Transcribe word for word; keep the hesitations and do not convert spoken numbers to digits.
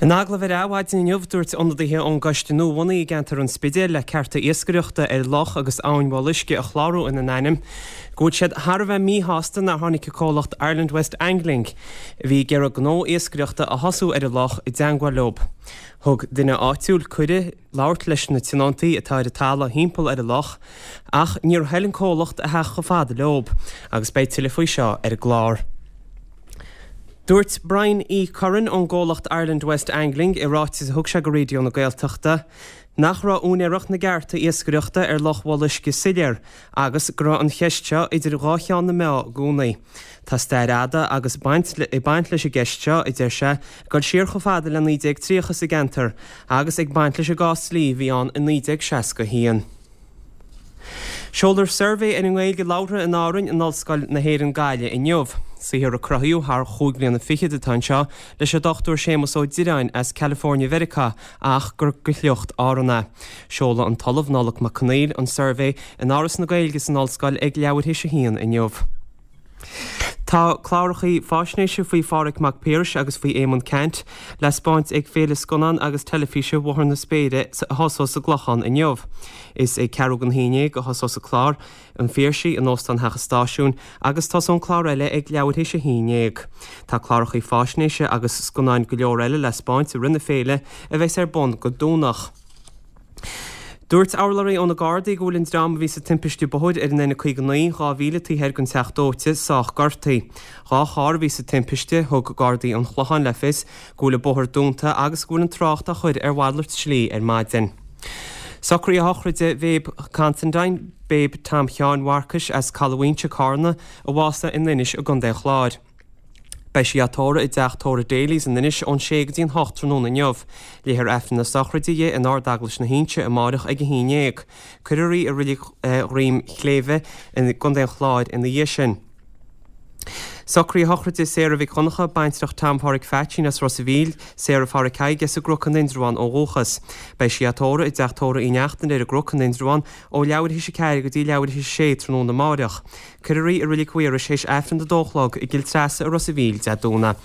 In agallamh ar Adhmhaidin inniu, dúirt ionadaithe ón gcoiste nuabhunaithe i gceantar an Spidéil le cearta iascaireachta ar loch agus abhainn Bhéal Uisce a chlárú ina n-ainm, go bhfuil siad thar a bheith míshásta nár tháinig an comhlacht Ireland West Angling, a bhí ag iarraidh gnó iascaireachta a thosú ar an loch, i dteangmháil leo. Thug duine áitiúil cuireadh labhairt leis na tionóntaí atá ar an talamh thimpeall ar an loch, ach níor thoil an comhlacht a theacht chomh fada leo, agus beidh tuilleadh faoi seo ar an gclár. Dúirt Brian E. Curran ón gcomhlacht Ireland West Angling i ráiteas a thug sé go Raidió na Gaeltachta nach raibh úinéireacht na gcearta iascaireachta ar Loch Bhéal Uisce soiléir agus go raibh an cheist seo idir dhá cheann na meá i gcónaí. Tá stair fhada agus baint ag baint leis an gceist seo, a deir sé, ag dul siar chomh fada le naoi déag tríocha sa gceantar agus ag baint leis an gcás dlí a bhí ann i naoi déag seasca a haon. Seolfar suirbhé ar an nGaeilge labhartha in Árainn in Ollscoil na hÉireann Gaillimh inniu. Saothar a cruthaíodh thar chúig bliana fichead atá anseo leis an Dochtúir Séamus Ó Direáin as California Mheiriceá ach gur de shliocht Árann é. Seolfaidh an tOllamh Nollaig Mac Conaill an suirbhé in Áras na Gaeilge san Ollscoil ag leathuair théis a haon inniu. Tá cláracha faisnéise faoi Phádhraic Mac Piarais agus faoi Éamonn Ceannt le 'spáint ag Féile Scannán agus Teilifíse Bhóthar na Spéire a thosós sa gClochán inniu. Is ag ceathrú don haon déag a thosós an clár An Phiarsaigh in Óstán Theach an Stáisiúin agus tosóidh an clár eile ag leathuair théis a haon déag. Tá cláracha faisnéise agus scannáin go leor eile le 'spáint i rith na féile a bheas ar bun go Domhnach. Dúirt urlabhraí ó na Gardaí go bhfuil an dream a bhí sa timpiste bóthair ar an N caoga naoi, dhá mhíle taobh thoir den Teach Dóite, sách gortaithe. Dhá charr a bhí sa timpiste, thug Gardaí an Chlocháin le fios go bhfuil an bóthar dúnta agus go bhfuil an trácht á chur ar mhalairt slí ar maidin. Socruithe sochraide Bhéib Considine, Béib Tom Sheáin Mharcais as Caladh Mhaínse, Cárna, a bhásaigh in Inis i gContae an Chláir. Beidh sí á tórramh i dteach tórraimh Daly's in Inis ón sé go dtí an hocht tráthnóna inniu. Léifear Aifreann na sochraide di in Ard-Eaglais na hInse amáireach ag a haon dhéag. Cuirfear í i Reilig Dhroim Shléibhe i gContae an Chláir ina dhiaidh sin. Socruithe sochraide Sarah Mhic Dhonncha, baintreach Tom Pháraic Pheaitsín as Ros a' Mhíl, Sarah Pháraic Thaidhg as an gCnoc in Indreabhán ó dhúchas. Beidh sí á tórramh i dteach tórraimh Uí Neachtain ar an gCnoc in Indreabhán ó leathuair théis a ceathair go dtí leathuair théis a sé tráthnóna amáireach. Cuirfear í i Reilig Mhaorais théis Aifreann a dó a chlog i gCill Treasa i Ros a' Mhíl Dé Domhnaigh.